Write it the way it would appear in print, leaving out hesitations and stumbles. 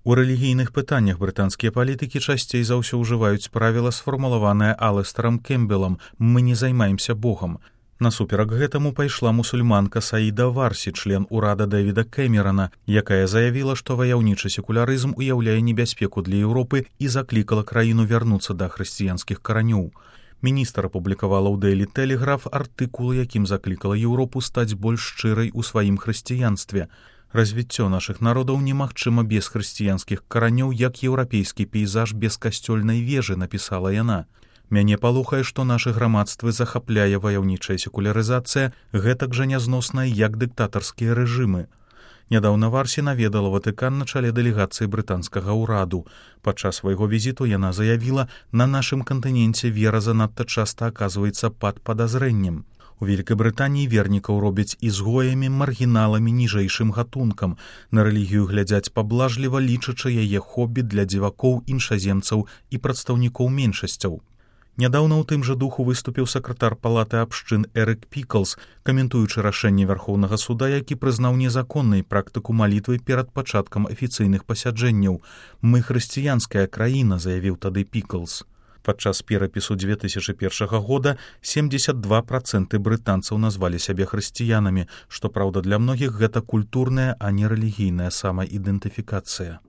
У рэлігійных пытаннях брытанскія палітыкі часцей за ўсё ўжываюць правіла, сфармулаванае Алэстарам Кембелам «Мы не займаемся Богам». Насуперак гэтаму пайшла мусульманка Саіда Варсі, член урада Дэвіда Кэмерана, якая заявіла, што ваяўнічы секулярызм уяўляе небяспеку для Еўропы і заклікала краіну вярнуцца да хрысціянскіх каранёў. Міністр апублікавала ў Daily Telegraph артыкул, якім заклікала Еўропу стаць больш шчырай у сваім хрысціянстве. Развіццё нашых народаў немагчыма без хрысціянскіх каранёў, як еўрапейскі пейзаж без касцёльнай вежы, напісала яна. Мяне палохае, што нашы грамадствы захапляе ваяўнічая секулярызацыя, гэтак жа нязносная, як дыктатарскія рэжымы. Нядаўна Варсі наведала Ватыкан на чале дэлегацыі брытанскага ўраду. Падчас свайго візіту яна заявіла, на нашым кантыненце вера занадта часта аказваецца пад падазрэннем. У Вялікай Брытаніі вернікаў робяць ізгоямі, маргіналамі, ніжэйшым гатункам. На рэлігію глядзяць паблажліва, лічачы яе хобі для дзівакоў, іншаземцаў і прадстаўнікоў меншасцяў. Нядаўна ў тым жа духу выступіў сакратар палаты абшчын Эрык Піклс, каментуючы рашэнне Вярхоўнага суда, які прызнаў незаконнай практыку малітвы перад пачаткам афіцыйных пасяджэнняў. «Мы хрысціянская краіна», заявіў тады Піклс. Падчас перапісу 2001 года 72% брытанцаў назвалі сябе хрысціянамі, што, праўда, для многіх гэта культурная, а не рэлігійная самаідэнтыфікацыя.